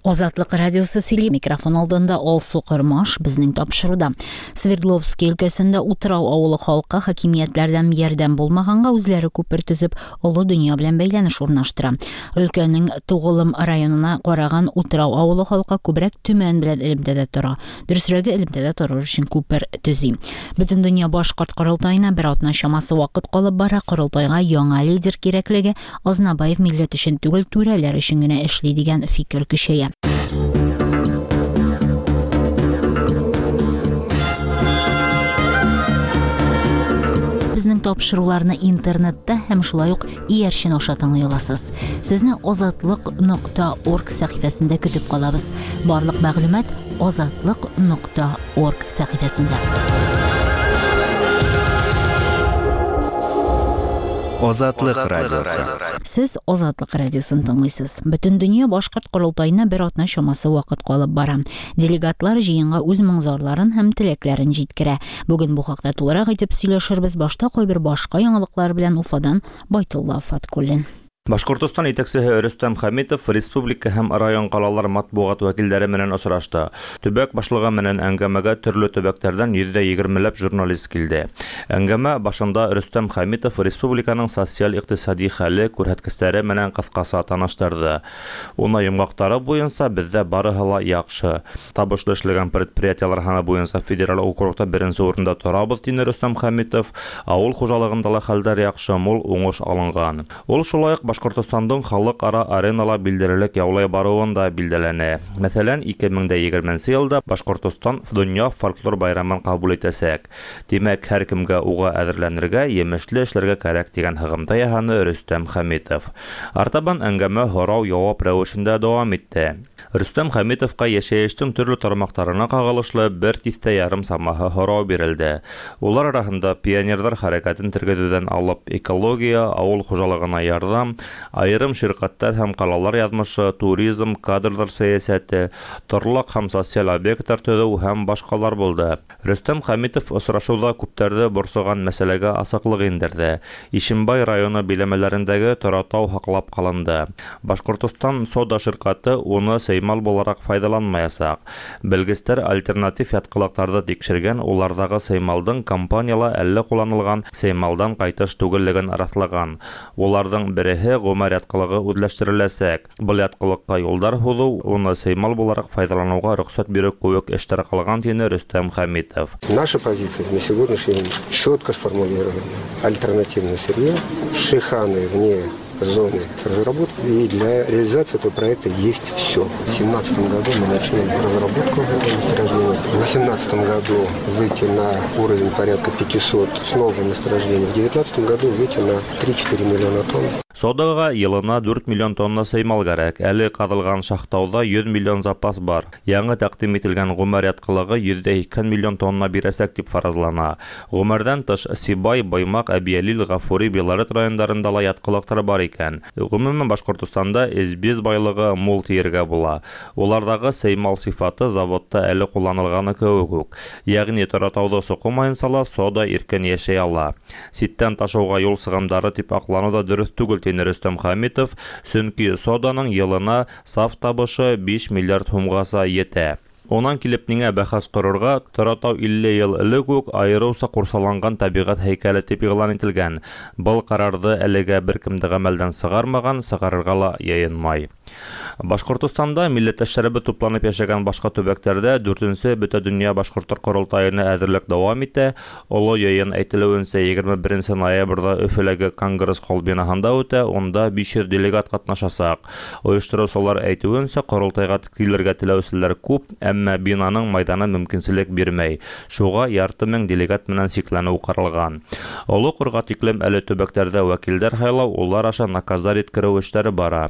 Азатлык радиосы сөйли. Микрофон алдында Алсу Кормаш безнең тапшыруда. Свердловский өлкәсендә Утрау авылы халкы хакимиятләрдән ярдәм булмаганга үзләре күпер төзеп, олы дөнья белән бәйләнеш урнаштыра. Өлкәнең Тугылым районына караган Утрау авылы халкы күбрәк Төмән белән элемтәдә тора. Дөресрәге, элемтәдә торыр өчен күпер төзи. Бөтендөнья башкорт корылтаена бер атна чамасы вакыт калып бара. Корылтайга яңа лидер кирәклеге Азнабаев милләт өчен түгел, түрәләр өчен генә эшли дигән фикер көчәя. Безнең тапшыруларны интернетта һәм шулай ук иярчен аша тыңлый аласыз. Сезне азатлык нокта орг сәхифәсендә көтеп калабыз. Барлык мәгълүмат азатлык нокта орг сәхифәсендә. Азатлык радиосы. Сез Азатлык радиосын тыңлыйсыз. Бөтендөнья башкорт корылтаена бер атна чамасы вакыт калып бара. Делегатлар җыенга үз моң-зарларын һәм теләкләрен җиткерә. Бүген бу хакта тулырак итеп сөйләшербез. Башта кайбер башка яңалыклар белән Уфадан Байтулла Фаткуллин. Башкортостан итәкчеһе Рөстәм Хәмитов республика һәм район-калалар матбугат вәкилләре менән очрашты. Төбәк башлыгы менән әңгәмәгә төрле төбәкләрдән 120 ләп журналист килде. Әңгәмә башында Рөстәм Хәмитов республиканың социаль-икътисади хәле, күрһәткечләре менән кыскача таныштырды. Уны йомгаклары буенча, бездә барыһы ла яхшы. Табышлы эшләгән предприятиеләр һаны буенча федераль округта беренче урында торабыз, диде Рөстәм Хәмитов. Авыл хуҗалыгында ла хәлләр яхшы, мул уңыш алынган. Ул шулай ук Башкортостандың халыкара аренала билдерелек яулай баруын да билдәләне. Мәсәлән, 2020 нче елда Башкортостан Дөнья фольклор байрамын кабул итәчәк. Димәк, һәркемгә уга әзерләнергә, емешле эшләргә кәрәк, дигән һыгымта яһаны Рөстәм Хәмитов. Артабан әңгәмә һорау-явап рәвешендә дәвам итте. Рөстәм Хәмитовка яшәештең төрле тармактарына кагылышлы бер тистә ярым самаһы һорау бирелде. Улар араһында пионерлар хәрәкәтен тергезүдән алып, экология, авыл хуҗалыгына ярдәм, аерым ширкәтләр һәм калалар язмышы, туризм, кадрлар сәясәте, торлак һәм социаль объектлар төзү һәм башкалар булды. Рөстәм Хәмитов очрашуда күпләрне борчыган мәсьәләгә ачыклык иңдерде. Ишембай районы биләмәләрендәге Торатау һаклап калынды. Башкортостан сода ширкате уны сеймал буларак файдаланмаячак. Белгечләр альтернатив яткылыкларны тикшергән, улардагы сеймалдың компанияла әле кулланылган сеймалдан кайтыш түгеллеген раслаган. Уларның береһе Гомәр яткылыгы үзләштереләчәк. Был яткылыкка юлдар һуҙыу, уны сеймал булараҡ файҙаланыуға рөхсәт биреү кеүек эштәр ҡалған, тине Рөстәм Хәмитов. Наша позиция на сегодняшний день четко сформулирована. Альтернативное сырье, шиханы вне зоны разработки. И для реализации этого проекта есть все. В 2017 году мы начнем разработку этого месторождения. В 2018 году выйти на уровень порядка 500 с новым месторождением. В 2019 году выйти на 3-4 миллиона тонн. Содага елына 4 миллион тонна сеймал кәрәк. Әле ҡаҙылған Шахтауҙа 100 миллион запас бар. Яңы тәҡдим ителгән Ғүмәр ятҡылығы 180 миллион тонна бирәсәк тип фаразлана. Ғүмәрҙән тыш Сибай, Баймаҡ, Әбйәлил, Ғафури, Белорет райондарында ла ятҡылыҡтар бар икән. Ғөмүмән, Башҡортостанда эзбиз байлығы мул тиергә була. Уларҙағы сеймал сифаты заводта әле ҡулланылғаны кеүек үк. Йәғни Торатауҙы соҡомайынса ла сода иркен йәшәй ала. Ситтән ташыуға юл сығымдары тип аҡланыу ҙа дөрөҫ түгел, тине Рөстәм Хәмитов, сөнки соданың йылына саф табышы 5 миллиард һумғаса етә. Унан килеп ниңә бәхәс ҡорорға, Торатау 50 йыл элек үк айырыуса ҡурсаланған тәбиғәт һәйкәле тип иғлан ителгән. Был ҡарарҙы әлегә бер кем дә ғәмәлдән сығармаған, сығарырға ла йыйынмай. Башҡортостанда милләттәштәребеҙ тупланып йәшәгән башҡа төбәктәрҙә 4-нсе Бөтә донъя башҡорттар ҡоролтайына әҙерлек дауам итә. Оло йыйын әйтелеүенсә 21 ноябрҙә Өфөләге Конгресс холл бинаһында үтә, унда 500 делегат ҡатнашасаҡ. Ойоштороусылар әйтеүенсә, ҡоролтайға килергә теләүселәр күп, әммә бинаның майҙаны мөмкинселек бирмәй. Шуға ярты мең делегат менән сикләнеү ҡаралған. Оло ҡорға тиклем әле төбәктәрҙә вәкилдәр һайлау, улар аша наказдар еткереү эштәре бара.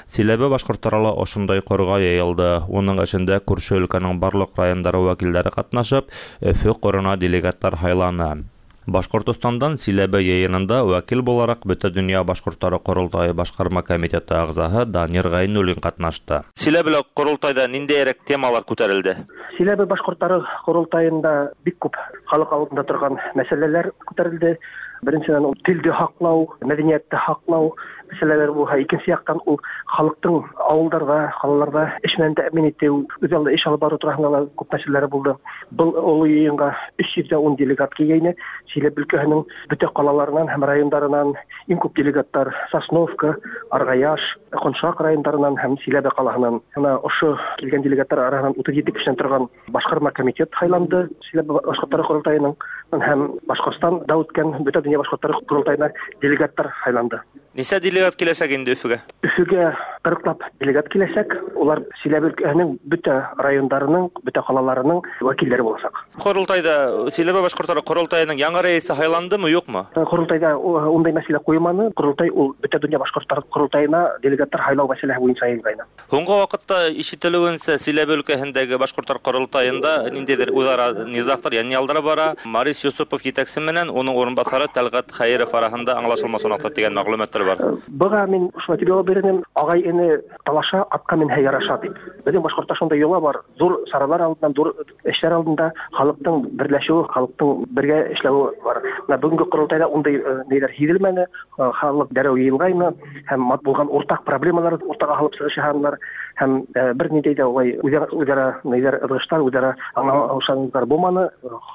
Силәбе башҡорттары ла ошондай ҡорға йыйылды. Уның эшендә күрше өлкәнең барлыҡ райондары вәкилдәре ҡатнашып, Өфө ҡорона делегаттар һайланы. Башҡортостандан Силәбе йыйынында вәкил булараҡ Бөтә донъя башҡорттары ҡоролтайы башҡарма комитеты ағзаһы Данир Ғәйнуллин ҡатнашты. Силәбелә ҡоролтайҙа ниндәйерәк темалар күтәрелде? Силәбе башҡорттары ҡоролтайында бик күп халыҡ алдында торған мәсьәләләр күтәрелде. Беренчедән, ул телде һаклау, мәдәниятте һаклау мәсьәләләре булһа, икенче яктан ул халыктың авылдарда, калаларда эш белән тәэмин итү, үзаллы эш алып бару турасында да күп мәсьәләләре булды. Был олы йыйынга 310 делегат килгәйне. Чиләбе өлкәһенең бөтә калаларыннан һәм райондарынан иң күп делегаттар Сосновка, Аргаяш, Коншак райондарынан һәм Чиләбе калаһынан. Менә ошо килгән делегаттар араһынан 37 кешедән торган башкарма комитет һайланды Чиләбе башкортлары корылтаеның һәм Башкортстанда үткән бөтә дөнья башкортлары корылтаена делегаттар һайланды. Ничә делегат киләчәк инде Өфегә? Өфегә 40лап делегат киләчәк. Улар Чиләбе өлкәһенең бөтә райондарының, бөтә калаларының вәкилләре булачак. Корылтайда Чиләбе башкортлары корылтаеның яңа рәисе һайландымы, юкмы? Корылтайда ундай мәсьәлә куелмады. Корылтай ул бөтә дөнья башкортлары корылтаена делегатлар һайлау мәсьәләһе буенча җыелгайны. Һуңгы вакытта ишетелүенчә, Силәбе өлкәһендәге башкортлар корылтаенда ниндидер үзара низагтар, янъялдар бара. Марис Юсупов җитәкче менән уның урынбасары Тәлгать Хәеров араһында аңлашылмас унакта дигән мәгълүматлар бар. Быга мин шулай дип җавап бирер идем, агай-эне талаша, атка менһә яраша дип. Безнең башкортта шундый йола бар, зур чаралар алдыннан, зур эшләр алдында халыкның берләшүе, халыкның бергә эшләве бар. Менә бүгенге корылтайда ундый ниләр һизелмәде, халык дәррәү йыелгайны һәм булган уртак проблемалар уртага алып чыгыш ясадылар һәм бер ниндәй дә улай үзара ниләр ызгышлар, үзара аңлаушанлыклар булмады.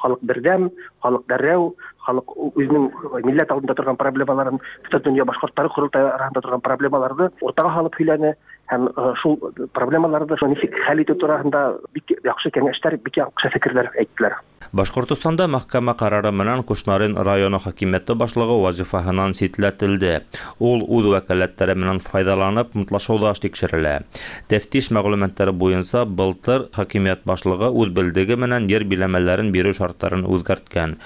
Халык бердәм, халык дәррәү, халык үзенең милләт алдында торган проблемаларын, бөтен дөнья башкортлары корылтае арасында торган проблемаларны уртага салып һөйләне һәм шул проблемаларны ничек хәл итү турасында бик яхшы киңәшләр, бик яхшы фикерләр әйттеләр. Башкортостанда мәхкәмә карары менән Кушнарен районы хакимияте башлыгы вазифаһынан ситләтелде. Ул үз вәкаләтләре менән файдаланып, мутлашауда тикшерелә. Тәфтиш мәгълүматлары буенча, былтыр хакимият башлыгы үз белдеге менән ер биләмәләрен бирү шартларын үзгәрткән.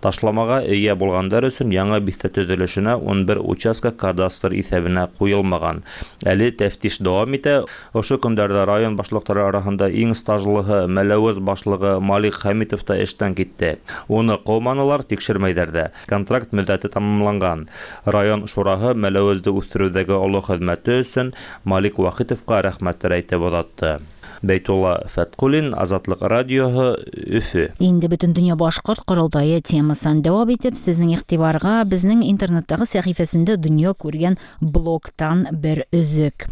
Ташламага ия булгандар өчен яңа бистә төзелешенә 11 участка кадастр исәбенә куелмаган. Әле тәфтиш дәвам итә. Ошо көндәрдә район башлыклары арасында иң стажлыһы Мәләвез башлыгы Малик Хәмитов та эштән китте. Уны кауманылар, тикшермәйдәр дә. Контракт мөддәте тәмамланган. Район шураһы Мәләвезде үстерүдәге олы хезмәте өчен Малик Вахитовка рәхмәтләр әйтеп озатты. Бәйтулла Фәткуллин, Азатлык радиоһы, Өфе. Инде Бөтендөнья башкорт корылтае темасын дәвам итеп, сезнең игътибарга безнең интернеттагы сәхифәсендә дөнья күргән блогтан бер өзек.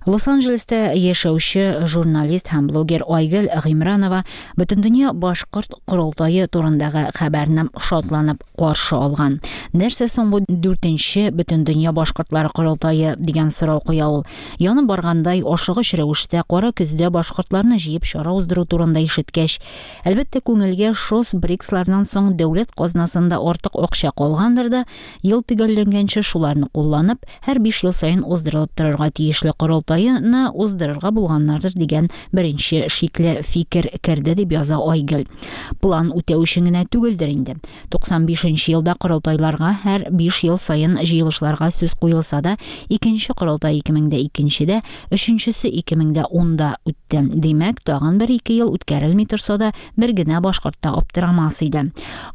Лос-Анджелеста яшәүче журналист һәм блогер Айгөл Гыймранова Бөтендөнья башкорт корылтае турындагы хәбәрне шатланып каршы алган. Нәрсә соң бу дүртенче Бөтендөнья башкортлары корылтае дигән сорау куя ул. Янып баргандай ашыгыч рәвештә кара көздә башкортларны җыеп чара уздыру турында ишеткәч, әлбәттә, күңелгә ШОС БРИКСлардан соң дәүләт казнасында артык акча калгандыр да, Ел төгәлләнгәнче шуларны кулланып, һәр 5 ел саен уздырылып торырга тиешле корылтайны уздырырга булганнардыр дигән беренче шикле фикер керде, дип яза Айгөл. План үтәү өчен генә түгелдер инде. 95 нче елда корылтайларга һәр 5 ел саен җыелышларга сүз куелса да, икенче корылтай 2002 дә, өченчесе 2010 да үтте. Димәк, тагын бер-ике ел үткәрелми торса да, бер генә башкорт та аптырамас иде.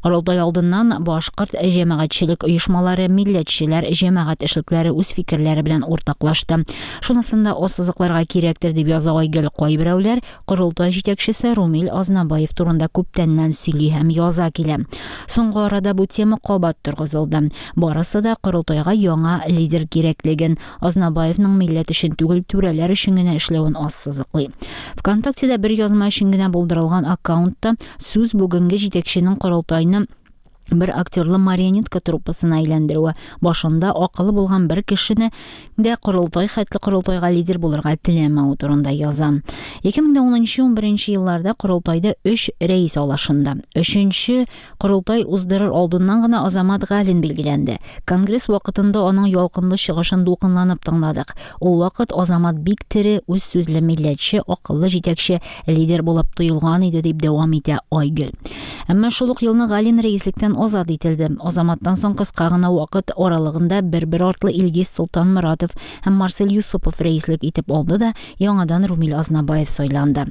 Корылтай алдыннан башкорт җәмәгатьчелек оешмалары, милләтчеләр, җәмәгать эшлекләре үз фикерләре белән уртаклашты. Шунысын да ассызыкларга кирәктер, дип яза Айгөл. Кайберәүләр корылтай җитәкчесе Румил Азнабаев турында күптәннән сөйли һәм яза килә. Соңгы арада бу тема кабат торгызылды. Барысы да корылтайга яңа лидер кирәклеген, Азнабаевның милләт өчен түгел, түрәләр өчен генә эшләвен ассызыклый. ВКонтактеда бер язма өчен генә булдырылган аккаунтта сүз бүгенге җитәкченең корылтайны бер актерлы марионетка труппасына әйләндерүе, башында акылы булган бер кешене дә корылтай хәтле корылтайга лидер булырга теләмәве турында яза. 2010-11 елларда корылтайда өч рәис алышынды. Өченче Корылтай уздырыр алдыннан гына Азамат Галин билгеләнде. Конгресс вакытында аның ялкынлы чыгышын дулкынланып тыңладык. Ул вакыт Азамат бик тере, үз сүзле милләтче, акыллы җитәкче, лидер булып тоелган иде, дип дәвам итә Айгөл. Әмма шул ук елны Галин рәислектән азат ителде. Азаматтан соң кыска гына вакыт аралыгында бер-бер артлы Илгиз Солтанморатов һәм Марсель Юсупов рәислек итеп алды да, яңадан Румил Азнабаев сайланды.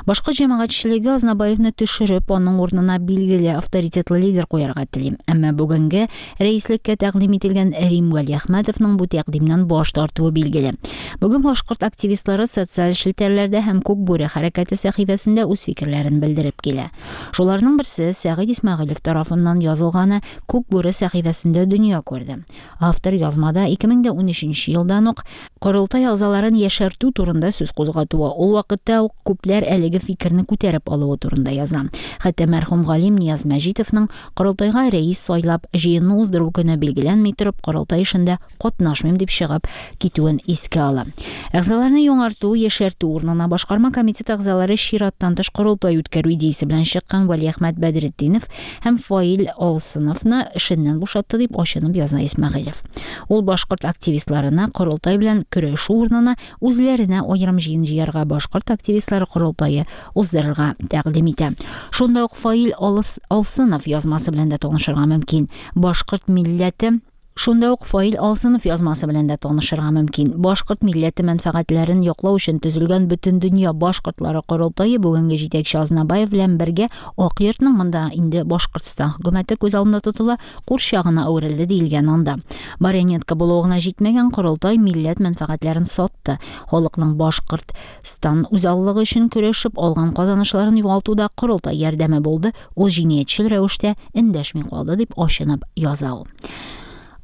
Башкорт җәмәгатьчелеге Азнабаевны төшереп, аның урынына билгеле авторитетлы лидер куярга тели. Әмма бүгенге рәислеккә тәкъдим ителгән Рим Вәлиәхмәтовның бу тәкъдимнән баш тартуы билгеле. Бүген башкорт активистлары социаль челтәрләрдә һәм Күк бүре хәрәкәте сәхифәсендә үз фикерләрен белдереп килә. Шуларның берсе берсе Сәгыйть Исмәгыйлев тарафыннан язылганы Күк бүре сәхифәсендә дөнья күрде. Автор язмада 2013 елдан ук Корылтай әгъзаларын яшәртү турында сүз кузгатуы, ул вакытта ук күпләр әлеге фикерне күтәреп алуы турында яза. Хәтта мәрхүм галим Нияз Мәҗитовның Корылтайга рәис сайлап, җыенны уздыру көне билгеләнми торып, Корылтай эшендә катнашмыйм дип чыгып китүен искә ала. Әгъзаларны яңарту, яшәртү урынына башкарма комитет әгъзалары чираттан тыш корылтай үткәрү идеясе белән чыккан Вәлиәхмәт Бәдретдинов һәм Фаил Алсыновны эшеннән бушатты дип ачынып яза Исмәгыйлев. Ул башкорт активистларына корылтай белән көрәшү урынына үзләренә аерым җыен җыярга башкорт активистлары корылтае уздырырга тәкъдим итә. Шунда ук Фаил Алсынов язмасы белән дә танышырга мөмкин. Башкорт милләте Шунда ук Фаил Алсынов язмасы белән дә танышырга мөмкин. Башкорт милләте мәнфәгатьләрен яклау өчен төзелгән Бөтендөнья башкортлары корылтае бүгенге җитәкче Азнабаев белән бергә Ак йортның, монда инде Башкортстан хөкүмәте күз алдында тотыла, курчагына әверелде диелгән анда. Марионетка булуы гына җитмәгән, корылтай милләт мәнфәгатьләрен сатты. Халыкның Башкортстан үзаллылыгы өчен көрәшеп алган казанышларын югалтуда корылтай ярдәме булды, ул җинаятьчел рәвештә эндәшми калды, дип ачынып яза ул.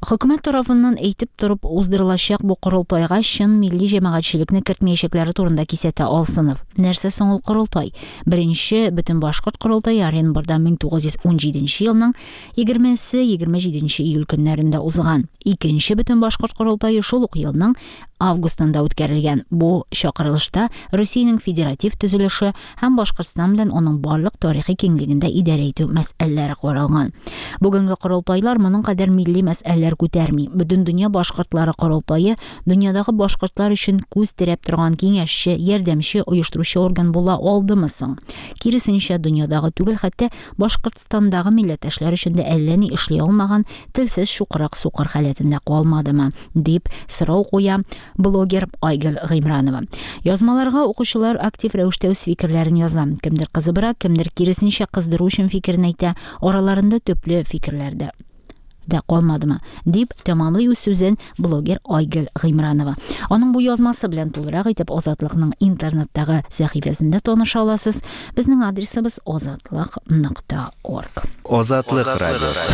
Хөкүмәт тарафыннан әйтеп торып уздырылачак бу корылтайга чын милли җәмәгатьчелекне кертмәячәкләре турында кисәтә Алсынов. Нәрсә соң ул корылтай? Беренче бөтен башкорт корылтае Оренбурда 1917 елның 20-27 июль көннәрендә узган. Икенче бөтен башкорт корылтае шул ук елның августында үткәрелгән. Бу чакырылышта Русиянең федератив төзелеше һәм Башкортстан белән аның барлык тарихи киңлегендә идарә итү мәсьәләләре каралган. Бүгенге корылтайлар моның кадәр милли мәсьәләләр күтәрми. Бөтендөнья башкортлары корылтае дөньядагы башкортлар өчен күз терәп торган киңәшче, ярдәмче, оештыручы орган була алдымы соң? Киресенчә, дөньядагы түгел, хәтта Башкортстандагы милләттәшләр өчен дә әллә ни эшли алмаган телсез чукрак сукыр халәтендә калмадымы? Дип сорау куя блогер Айгөл Гыймранова. Язмаларга укучылар актив рәвештә үз фикерләрен яза. Кемдер кызыбрак, кемдер киресенчә кыздыру өчен фикерен әйтә. Араларында төпле фикерләр дә дә калмадымы? Дип тәмамлый үз сүзен блогер Айгөл Гыймранова. Аның бу язмасы белән тулырак итеп Азатлыкның интернеттагы сәхифәсендә таныша аласыз. Безнең адресыбыз азатлык.орг. Азатлык радиосы.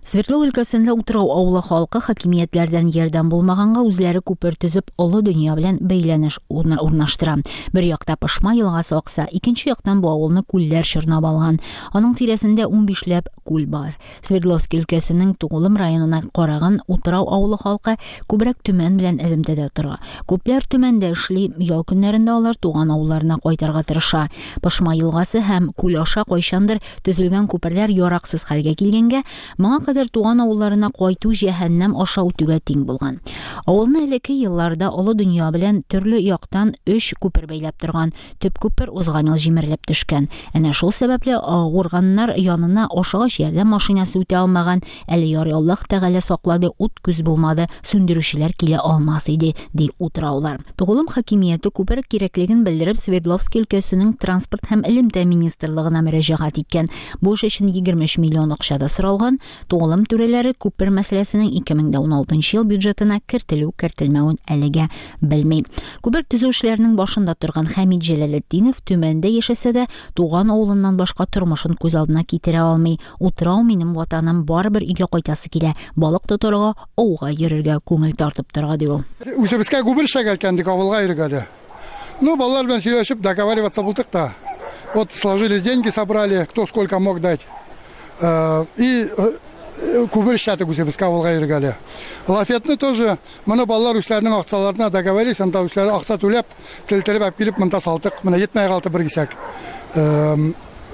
Свердлов өлкәсендә Утрау авылы халкы хакимиятләрдән ярдәм булмаганга үзләре күпер төзеп, олы дөнья белән бәйләнеш урнаштыра. Бер якта Пышма елгасы акса, икенче яктан бу авылны күлләр чорнап алган. Аның тирәсендә 15ләп күл бар. Свердловский өлкәсенең Тугулым районына караган Утрау авылы халкы күбрәк Төмән белән элемтәдә тора. Күпләр Төмәндә эшли, ял көннәрендә алар туган авылларына кайтырга тырыша. Пышма елгасы һәм күл аша кайчандыр төзелгән күперләр яраксыз хәлгә килгәнгә, моңа кадәр туган авылларына кайту җәһәннәм аша үтүгә тиң булган. Авылны элекке елларда олы дөнья белән төрле яктан 3 күпер бәйләп торган. Төп күпер узган ел җимерелеп төшкән. Әнә шул сәбәпле авырганнар янына ашыгыч ярдәм машинасы үтә алмаган. Әле ярый Аллаһ Тәгалә саклады, ут күз булмады, сүндерүчеләр килә алмас иде, ди утраулар. Тугулым хакимияте күпер кирәклеген белдереп Свердловский өлкәсенең транспорт һәм элемтә министрлыгына мөрәҗәгать иткән. Бу эш өчен 23 миллион акча да соралган. Тугулым түрәләре күпер мәсьәләсенең 2016 ел бюджетына кертелү-кертелмәвен әлегә белми. Күпер төзү эшләренең башында торган Хәмид Җәләлетдинов Төмәндә яшәсә дә, туган авылыннан башка тормышын күз алдына китерә алмый. Утрау минем ватаным, барыбер өйгә кайтасы килә. Балык тотарга, ауга йөрергә күңел тартып тора, ди ул. Үзебезгә күпер эшләгән икән, дик авылга йөргәле. Ну, балалар белән сөйләшеп, договариваться булдык та. Вот сложились деньги, собрали, кто сколько мог дать. И күпер эшләдек үзебезгә авылга йөргәле. Лафетны тоже моны балалар үзләренең акчаларына договорились, анда үзләре акча түләп, телтереп алып килеп монда салдык. Менә җитмәй калды бер кисәк.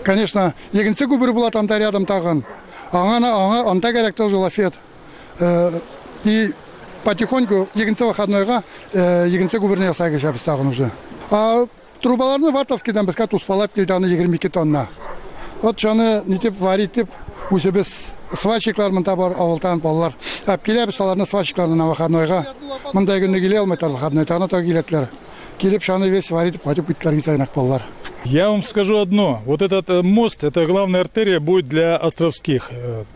Конечно, икенче күпер була анда рядом тагын. Аңа аңа анда кирәк тоже лафет. И потихоньку икенче выходнойга икенче күперне ясай кешәбез тагын уже. А трубаларны Вартовскийдан безгә туспалап килде, аны 22 тонна. Вот шуны нитеп варить дип үзебез сварщиклар монда бар авылдан балалар. Алып киләбез аларны сварщикларны на выходнойга. Монда көнне килә алмыйлар выходной, тагын та киләтләр. Килеп шуны весь варить итеп кайтып киттеләр кисәгенәк балалар. Я вам скажу одно. Вот этот мост, это главная артерия будет для островских.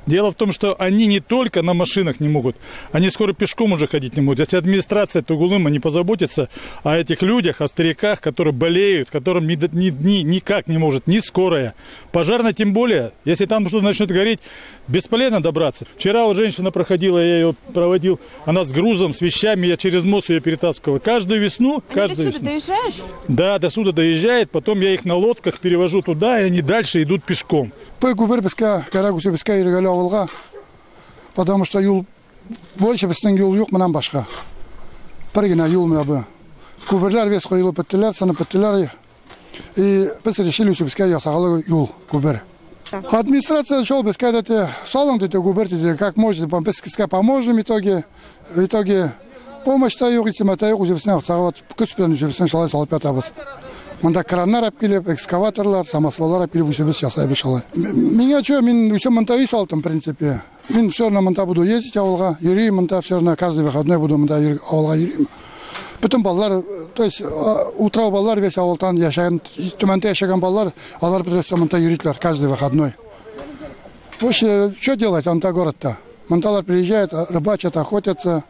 Дело в том, что они не только на машинах не могут, они скоро пешком уже ходить не могут. Если администрация Тугулыма не позаботится о этих людях, о стариках, которые болеют, которым никак не может, ни скорая. Пожарная тем более, если там что-то начнет гореть, бесполезно добраться. Вчера вот женщина проходила, я ее проводил, она с грузом, с вещами, я через мост ее перетаскивал. Каждую весну... Они до сюда доезжают? Да, до сюда доезжает, потом я их на лодках перевожу туда, и они дальше идут пешком. Потому что юл больше безнең юл юк моннан башка. Бер генә юл менә бу. Күперләр весь коелып беттеләр, сынып беттеләр. И без решили үзебезгә ясагалы юл күпер. Администрация шул безгә әйтте, салың диде күпер диде, как можно, без сезгә поможем в итоге. В итоге помощь та юк, исеме та юк, үзебезнең акчага көч белән үзебезнең шулай салып ятабыз. Монда краннар алып килеп, экскаваторлар, самосваллар алып килеп үзебез ясайбыз шулай. Миңа чё, мин үзем монда өй салдым, в принципе. Мин все равно монда буду ездить авылга, йөрим монда, все равно каждый выходной буду монда авылга йөрим. Бөтен балалар, то есть утрау балалар весь авылдан яшәгән, Төмәндә яшәгән балалар, алар просто монда йөриләр каждый выходной. Вообще, что делать анда городта? Монда приезжают, рыбачат, охотятся.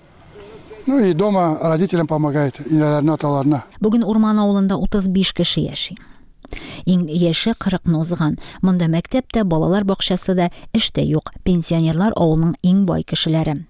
Ну и дома родителям помогает, инәләренә, аталарына. Бүген Урман авылында 35 кеше яши. Иң яше 40-ны узган. Монда мәктәп тә, балалар бакчасы да, эш тә юк. Пенсионерлар авылның иң бай кешеләре.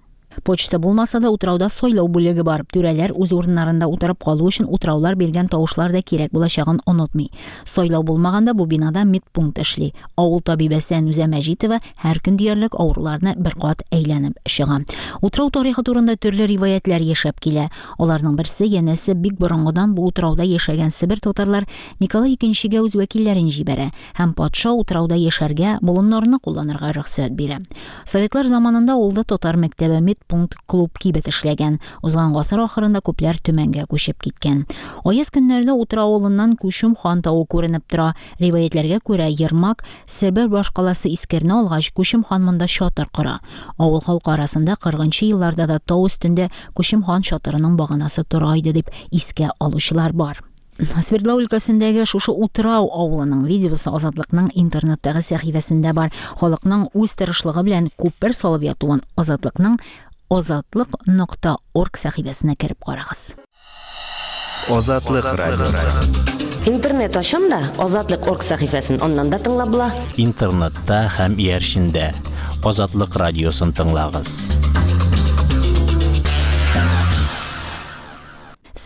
Почта булмаса да утрауда сайлау бүлеге бар. Түрәләр үз урыннарында утырып калу өчен утраулар биргән тавышлар да кирәк булачагын онытмый. Сайлау булмаганда бу бинада медпункт эшли. Авыл табибәсе Әнүзә Мәҗитова һәр көн диярлек авыруларны бер кат әйләнеп чыга. Утрау тарихы турында төрле риваятлар яшәп килә. Аларның берсе янәсе бик борынгыдан бу утрауда яшәгән Себер татарлар Николай икенчегә үз вәкилләрен җибәрә һәм патша утрауда яшәргә, болыннарны кулланырга рөхсәт бирә. Советлар заманында авылда татар мәктәбе, медпункт, клуб, кибет эшләгән. Узган гасыр ахырында күпләр Төмәнгә күчеп киткән. Аяз көннәрдә Утрау авылыннан Күчем хан тавы күренеп тора. Риваятләргә күрә, Ермак Себер башкаласы Искерне алгач, Күчем хан монда чатыр кора. Авыл халкы арасында 40 елларда да тау өстендә Күчем хан чатырының баганасы тора иде дип искә алучылар бар. Свердлау өлкәсендәге шушы Утрау авылының видеосы Азатлыкның интернеттагы сәхифәсендә бар. Халыкның үз тырышлыгы белән күпер салып ятуын Азатлыкның azatliq.org сәхифәсенә кереп карагыз. Азатлык радиосы. Интернет ачам да Азатлык.орг сәхифәсен аннан да тыңлап була. Интернетта һәм иярчендә Азатлык радиосын тыңлагыз.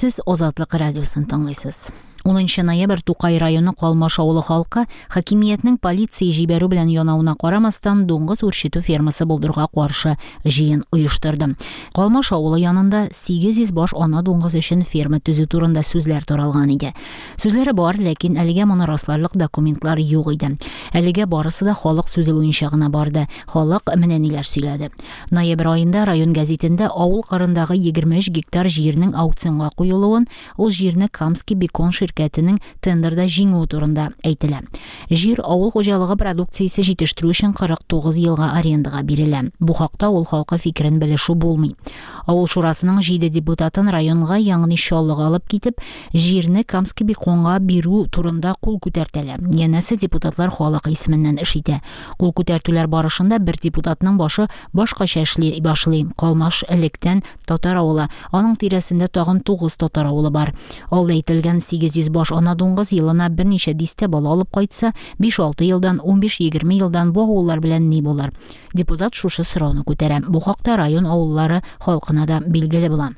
Сез Азатлык радиосын тыңлыйсыз. 10 ноябрь Тукай районы Калмаш авылы халкы хакимиятнең полиция җибәрү белән янавына карамастан дуңгыз үрчетү фермасы булдыруга каршы җыен оештырды. Калмаш авылы янында 800 баш ана дуңгыз өчен ферма төзү турында сүзләр таралган иде. Сүзләре бар, ләкин әлегә моны расларлык документлар юк иде. Әлегә барысы да халык сүзе буенча гына барды. Халык менә ниләр сөйләде. Ноябрь аенда район гәзитендә авыл кырындагы 23 гектар җирнең аукционга куелуын, ул җирне Камский бекон ширкәтенең тендерда җиңүе турында әйтелә. Җир авыл хуҗалыгы продукциясе җитештерү өчен 49 елга арендага бирелә. Бу хакта авыл халкы фикерен белешү булмый. Авыл шурасының 7 депутатын районга, ягъни Чаллыга алып китеп, җирне Камский беконга бирү турында кул күтәртәләр. Янәсе депутатлар халык исеменнән эш итә. Кул күтәртүләр барышында бер депутатның башы башкача эшли башлый. Калмаш электән татар авылы, аның тирәсендә тагын 9 татар авылы бар. Алда әйтелгән 800 баш ана дуңгыз елына берничә дистә бала алып кайтса, 5-6 елдан, 15-20 елдан бу авыллар белән ни булыр? Депутат шушы сорауны күтәрә. Бу хакта район авыллары халкына да билгеле була.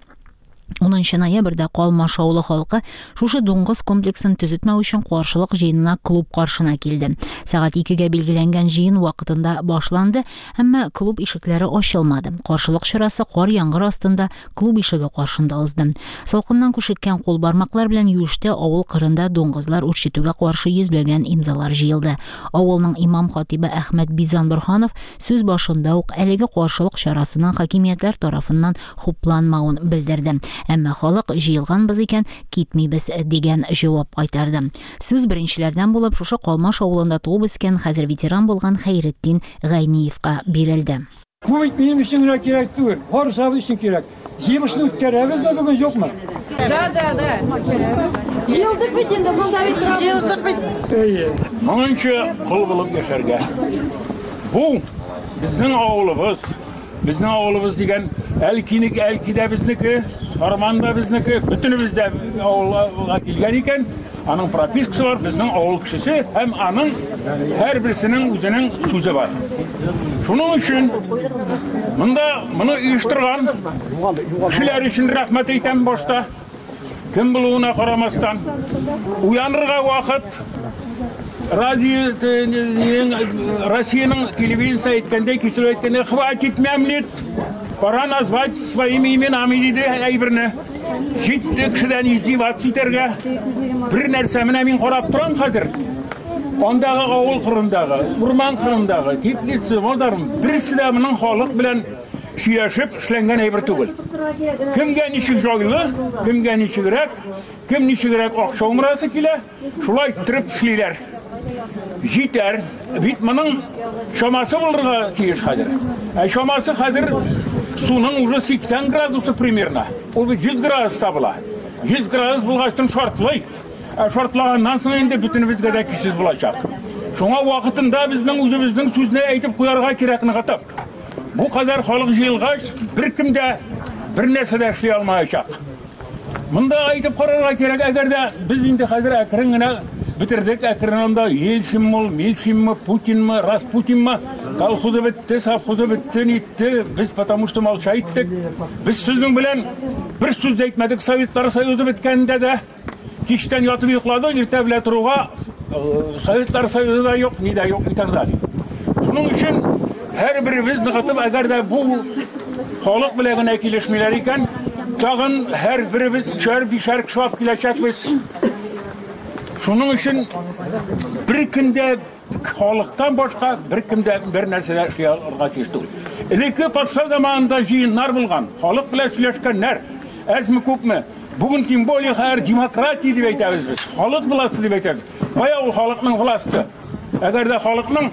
10 ноябрьдә Калмаш авылы халкы шушы дуңгыз комплексын төзетмәү өчен каршылык җыенына клуб каршына килде. Сәгать 2-гә билгеләнгән җыен вакытында башланды, әмма клуб ишекләре ачылмады. Каршылык чарасы кар яңгыр астында клуб ишеге каршында узды. Салкыннан күшеккән кул бармаклар белән юештә авыл кырында дуңгызлар үрчетүгә каршы йөзләгән имзалар җыелды. Авылның имам хатибы Әхмәт Бизан Борһанов сүз башында ук әлеге каршылык чарасының хакимиятләр тарафыннан хупланмавын белдерде. Әмма халык җыелганбыз икән, китмибез дигән җавап кайтарды. Сүз беренчеләрдән булып шушы Калмаш авылында туып үскән, хәзер ветеран булган Хәйретдин Гайниевка бирелде. Бу бит минем өчен генә кирәк түгел, барысыбыз өчен кирәк. Җыелышны үткәрәбезме бүген, юкмы? Да, да, да. Җыелыш Җыелдык бит инде, монда бит җыелдык бит. Әйе. Моңынчы кол булып яшәргә. Бу безнең авылыбыз. Безнең авылыбыз дигән Әлкинеке, Әлки дә безнеке, Сарман да безнеке, бөтенебез дә авылга килгән икән, аның пропискасы бар, безнең авыл кешесе һәм аның һәрберсенең үзенең сүзе бар. Шуның өчен монда моны оештырган кешеләр өчен рәхмәт әйтәм башта. Кем булуына карамастан, уянырга вакыт. Радио Россиянең телевидениесе әйткәндәй, кисеп әйткәндәй, хватит мямлить, пора назвать своими именами диде әйберне. Җитте кешедән издеваться итәргә. Бер нәрсә менә мин карап торам хәзер. Андагы авыл кырындагы, урман кырындагы, теплица, мазарым, берсе дә моның халык белән сөйләшеп эшләнгән әйбер түгел. Кемгә ничек җайлы, кемгә ничегрәк, кем ничегрәк акча умырасы килә, шулай иттереп эшлиләр. Җитәр. Бит моның чамасы булырга тиеш хәзер. Ә чамасы хәзер суның уже 80 градусы примерно. Ул бит 100 градуста була. 100 градус булгачтын шартлый. Ә шартлаганнан соң инде бөтенебезгә дә көчсез булачак. Шуңа вакытында безнең үзебезнең сүзне әйтеп куярга кирәк ныгытып. Бу кадәр халык җыелгач, беркем дә бер нәрсә дә эшли алмаячак. Монда әйтеп карарга кирәк, әгәр дә без инде хәзер әкрен генә бетердек, әкрен анда Ельцинмы, Мельцинмы, Путинмы, Распутинмы, колхозы бетте, совхозы бетте, нитте, без потому что молча иттек. Без сезнең белән бер сүз дә әйтмәдек Советлар Союзы беткәндә дә. Кичтән ятып йоклады, иртә белән торуга Советлар Союзы да юк, ни дә юк и так далее. Шуның өчен һәрберебез ныгытып, әгәр дә бу халык белән генә килешмиләр икән, тагын һәрберебез өчәр, бишәр кеше алып киләчәкбез. Шуның өчен бер көндә халыктан башка беркем дә бер нәрсә дә эшли алырга тиеш түгел. Элекке патша заманында җыеннар булган, халык белән сөйләшкәннәр, әзме күпме. Бүген тем более хәзер демократия дип әйтәбез без. Халык власте дип әйтәбез. Кая ул халыкның власте? Әгәр дә халыкның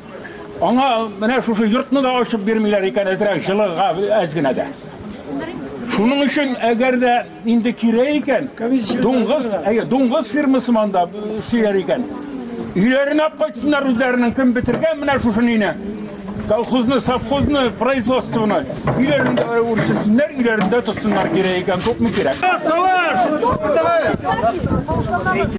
аңа менә шушы йортны да ачып бирмиләр икән, әзрәк җылыга әз генә дә. Шуның өчен әгәр дә инде кирәк икән, дуңгыз, әйе, дуңгыз фирмасы монда эшлиләр икән. Өйләренә алып кайтсыннар үзләренең кем бетергән менә шушы нине. Колхозны, совхозны, производствоны өйләрендә үрчетсеннәр, өйләрендә тотсыннар кирәк икән, күпме кирәк.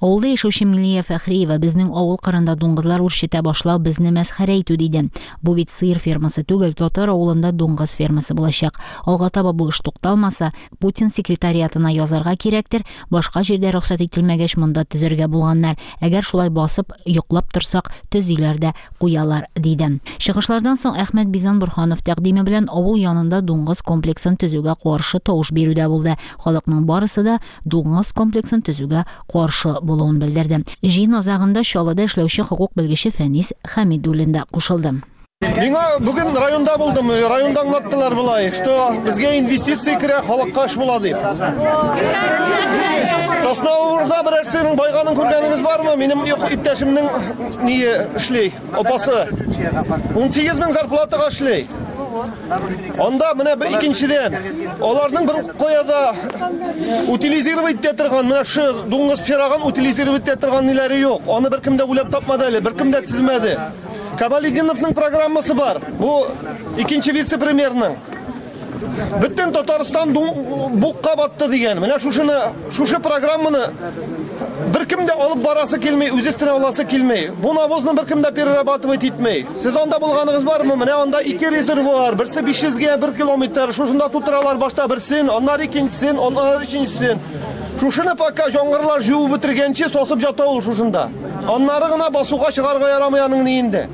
Авылда яшәүче Милия Фәхриева безнең авыл кырында дуңгызлар үрчетә башлау безне мәсхәрә итү диде. Бу бит сыер фермасы түгел, татар авылында дуңгыз фермасы булачак. Алга таба бу эш тукталмаса, Путин секретариатына язарга кирәктер, башка җирдә рөхсәт ителмәгәч, монда төзергә булганнар. Әгәр шулай басып, йоклап торсак, төзиләр дә куялар, диде. Чыгышлардан соң Әхмәт Бизан Борһанов тәкъдиме белән авыл янында дуңгыз комплексын төзүгә каршы тавыш бирү дә булды. Халыкның барысы да дуңгыз комплексын төзүгә каршы булуын белдерде. Җыен азагында Чаллыда эшләүче хокук белгече Фәнис Хәмидуллин да кушылды. Миңа бүген районда булдым, районда аңлаттылар болай, что безгә инвестиция керә, халыкка эш була дип. Сосновоборда берәрсенең байганын күргәнегез бармы? Минем иптәшемнең ние эшли, апасы. 18 мең зарплатага эшли. Анда менә бер икенчедән, аларның бер кая да утилизировать итә торган, менә шу дуңгыз пирагын утилизировать итә торган ниләре юк. Аны беркем дә уйлап тапмады әле, беркем дә төземәде. Камалетдиновның программасы бар. Бу икенче вице-премьерның. Бөтен Татарстан букка батты дигән. Менә шушыны, шушы программаны беркем дә алып барасы килми, үз өстенә аласы килми. Бу навозны беркем дә перерабатывать итми. Сез анда булганыгыз бармы? Менә анда ике резервуар, берсе 500 гә 1 километр. Шушында тутыралар башта берсен, аннары икенчесен, аннары өченчесен. Шушыны пока яңгырлар җуып бетергәнче сосып ята ул шушында. Аннары гына басуга чыгарга ярамый аның ниендә.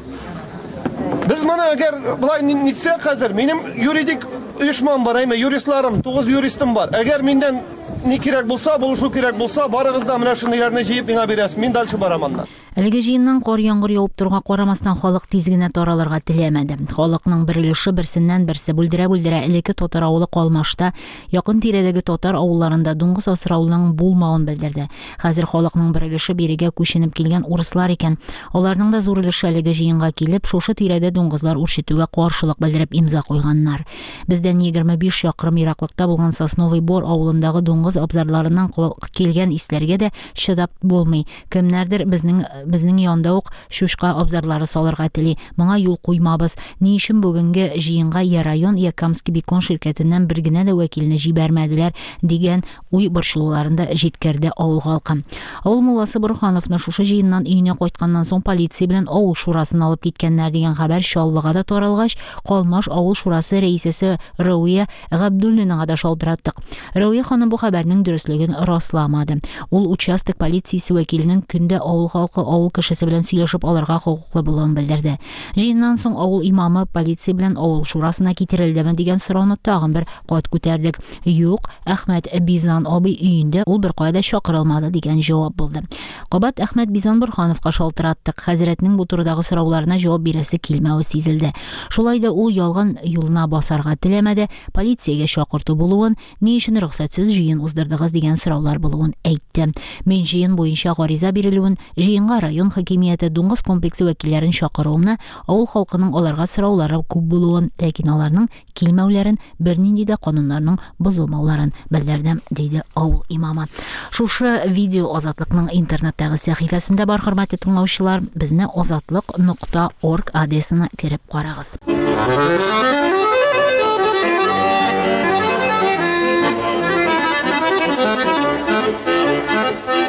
Без моны әгәр болай нитсәк хәзер, минем юридик оешмам бар, әйме, юристларым, 9 юристым бар. Әгәр миннән ни кирәк булса, булышу кирәк булса, барыгыз да менә шундыйларны җыеп миңа бирәсез. Мин дальше барам аннан. Әлеге җыеннан кар-яңгыр явып торуга карамастан, халык тиз генә таралырга теләмәде. Халыкның бер өлеше берсеннән-берсе бүлдерә-бүлдерә элекке татар авылы Калмашта, якын тирәдәге татар авылларында дуңгыз асрауның булмавын белдерде. Хәзер халыкның бер өлеше бирегә күченеп килгән урыслар икән. Аларның да зур өлеше әлеге җыенга килеп, шушы тирәдә дуңгызлар үрчетүгә каршылык белдереп имза куйганнар. Бездән 25 чакрым ераклыкта булган Сосновый Бор авылындагы дуңгыз Дуңгыз абзарларыннан килгән исләргә дә чыдап булмый. Кемнәрдер безнең безнең янда ук чучка абзарлары салырга тели. Моңа юл куймабыз. Ни өчен бүгенге җыенга я район, я Камский бекон ширкәтеннән бер генә дә вәкилне җибәрмәделәр, дигән уй борчылуларын да җиткерде авыл халкы. Авыл мулласы Борһановны шушы җыеннан өенә кайтканнан соң полиция белән авыл шурасына алып киткәннәр дигән хәбәр Чаллыга да таралгач, Калмаш авыл шурасы рәисәсе Рәвия Габдуллинага да шалтыраттык. Рәвия ханым бу хәбәрнең дөреслеген расламады. Ул участок полициясе вәкиленең көндә авыл халкы, авыл кешесе белән сөйләшеп алырга хокуклы булуын белдерде. Җыеннан соң авыл имамы полиция белән авыл шурасына китерелдеме дигән сорауны тагын бер кат күтәрдек. Юк, Әхмәт Бизан абый өендә, ул беркая да чакырылмады дигән җавап булды. Кабат Әхмәт Бизан Борһановка шалтыраттык. Хәзрәтнең бу турыдагы сорауларына җавап бирәсе килмәве сизелде. Шулай да ул ялган юлына басарга теләмәде, полициягә чакырту булуын, ни өчен рөхсәтсез җыен уздырдыгыз дигән сораулар булуын әйтте. Мин җыен буенча гариза бирелүен, җыенга район хакимияте, дуңгыз комплексы вәкилләрен чакыруымны, авыл халкының аларга сораулары күп булуын, ләкин аларның килмәүләрен, бернинди дә кануннарның бозылмауларын белдердем, диде авыл имамы. Шушы видео Азатлыкның интернеттагы сәхифәсендә бар, хөрмәтле тыңлаучылар. Безне азатлык нокта орг адресына кереп карагыз.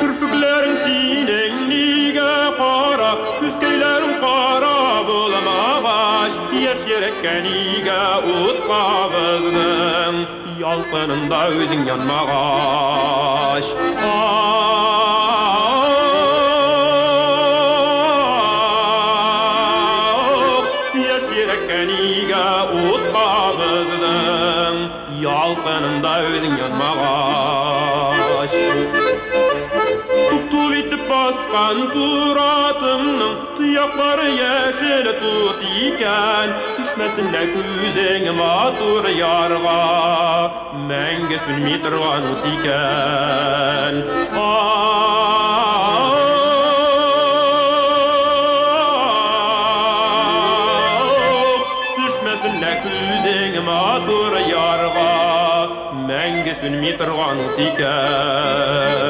Керфекләрең синең нигә кара, Күзкәйләрең кара булмагач, Яшь йөрәккә нигә ут кабыздың, Ялкынында үзең янмагач. Ах, яшь йөрәккә нигә ут кабыздың, Ялкынында үзең янмагач. Туп-туп итеп баскан туратымның Тояклары яшел тут икән, Төшмәсен лә күзең матур ярга, Мәңге сүнми торган ут икән. Ах, төшмәсен лә күзең матур ярга, Мәңге сүнми торган ут икән.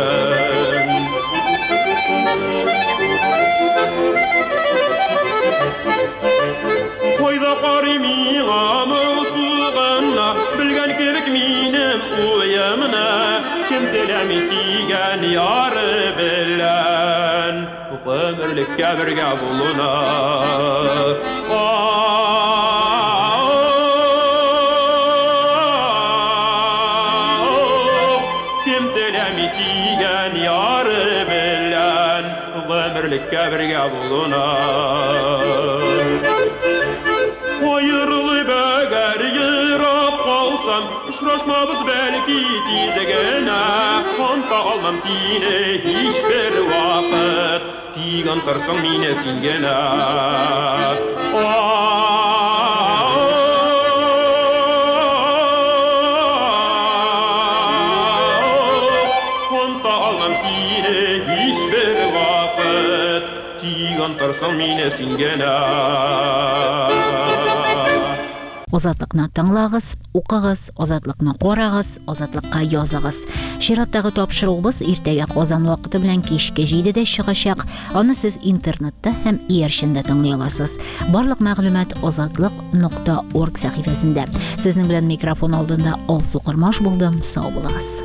Кайда карый миңа моңсу гына, Белгән кебек минем уемны, Кем теләми сөйгән яры белән Гомерлеккә бергә булуны. Ах, кем теләми сөйгән яры белән Гомерлеккә бергә булуны. Аерылып әгәр ерак калсам, Очрашмабыз бәлки тиз генә. Оныта алмам сине һичбер вакыт, Тик онтырсың мине син генә. Ах, оныта алмам сине һичбер вакыт, Тик онтырсың мине син генә. Азатлыкны тыңлагыз, укыгыз, Азатлыкны карагыз, Азатлыкка языгыз. Чираттагы тапшыруыбыз иртәгә Казан вакыты белән кичке 7-дә чыгачак. Аны сез интернетта һәм иярчендә тыңлый аласыз. Барлык мәгълүмат азатлык нокта орг сәхифәсендә. Сезнең белән микрофон алдында Алсу Кормаш булдым. Сау булыгыз.